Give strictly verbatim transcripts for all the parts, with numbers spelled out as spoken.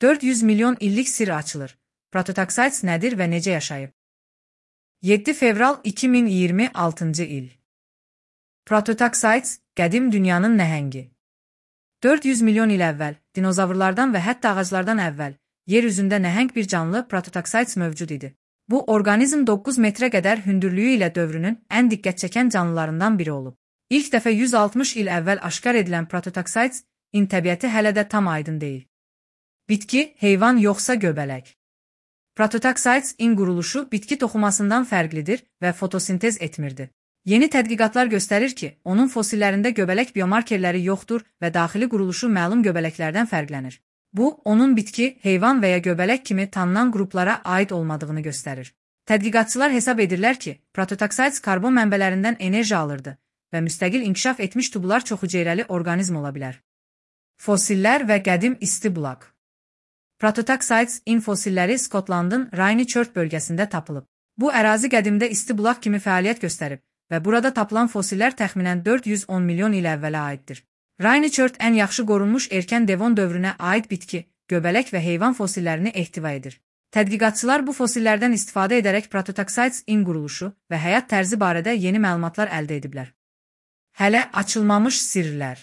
dörd yüz milyon illik sirr açılır. Prototaksites nədir və necə yaşayıb? yeddi fevral iki min iyirmi altıncı il. Prototaksites, qədim dünyanın nəhəngi. dörd yüz milyon il əvvəl, dinozavrlardan və hətta ağaclardan əvvəl, yer üzündə nəhəng bir canlı prototaksites mövcud idi. Bu, orqanizm doqquz metrə qədər hündürlüyü ilə dövrünün ən diqqət çəkən canlılarından biri olub. İlk dəfə yüz altmış il əvvəl aşkar edilən prototaksites in təbiəti hələ də tam aydın deyil. Bitki, heyvan yoxsa göbələk? Prototaksites in quruluşu bitki toxumasından fərqlidir və fotosintez etmirdi. Yeni tədqiqatlar göstərir ki, onun fosillərində göbələk biomarkerləri yoxdur və daxili quruluşu məlum göbələklərdən fərqlənir. Bu, onun bitki, heyvan və ya göbələk kimi tanınan qruplara aid olmadığını göstərir. Tədqiqatçılar hesab edirlər ki, prototaksites karbon mənbələrindən enerji alırdı və müstəqil inkişaf etmiş tubular çoxhüceyrəli orqanizm ola bilər. Fosillər və qədim isti bulaq. Prototaksites in fosilləri Skotlandın Rainy-Church bölgəsində tapılıb. Bu ərazi qədimdə isti bulaq kimi fəaliyyət göstərib və burada tapılan fosillər təxminən dörd yüz on milyon il əvvələ aiddir. Rainy-Church ən yaxşı qorunmuş erkən devon dövrünə aid bitki, göbələk və heyvan fosillərini ehtiva edir. Tədqiqatçılar bu fosillərdən istifadə edərək prototaksites in quruluşu və həyat tərzi barədə yeni məlumatlar əldə ediblər. Hələ açılmamış sirrlər.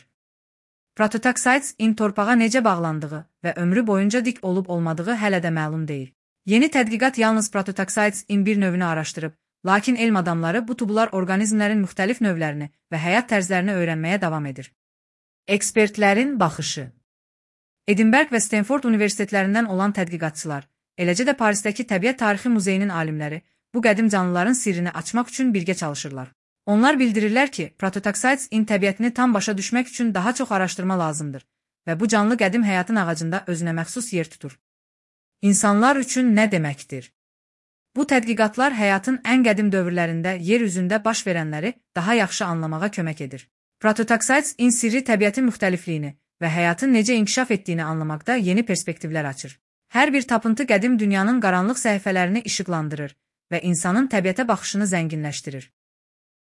Prototaksites in torpağa necə bağlandığı və ömrü boyunca dik olub-olmadığı hələ də məlum deyil. Yeni tədqiqat yalnız prototaksites in bir növünü araşdırıb, lakin elm adamları bu tubular orqanizmlərin müxtəlif növlərini və həyat tərzlərini öyrənməyə davam edir. Ekspertlərin baxışı. Edinburgh və Stanford universitetlərindən olan tədqiqatçılar, eləcə də Parisdəki Təbiət Tarixi Muzeyinin alimləri bu qədim canlıların sirrini açmaq üçün birgə çalışırlar. Onlar bildirirlər ki, prototaksites in təbiətini tam başa düşmək üçün daha çox araşdırma lazımdır və bu canlı qədim həyatın ağacında özünə məxsus yer tutur. İnsanlar üçün nə deməkdir? Bu tədqiqatlar həyatın ən qədim dövrlərində yer üzündə baş verənləri daha yaxşı anlamağa kömək edir. Prototaksites in sirri təbiətin müxtəlifliyini və həyatın necə inkişaf etdiyini anlamaqda yeni perspektivlər açır. Hər bir tapıntı qədim dünyanın qaranlıq səhifələrini işıqlandırır və insanın təbiətə baxışını zənginləşdirir.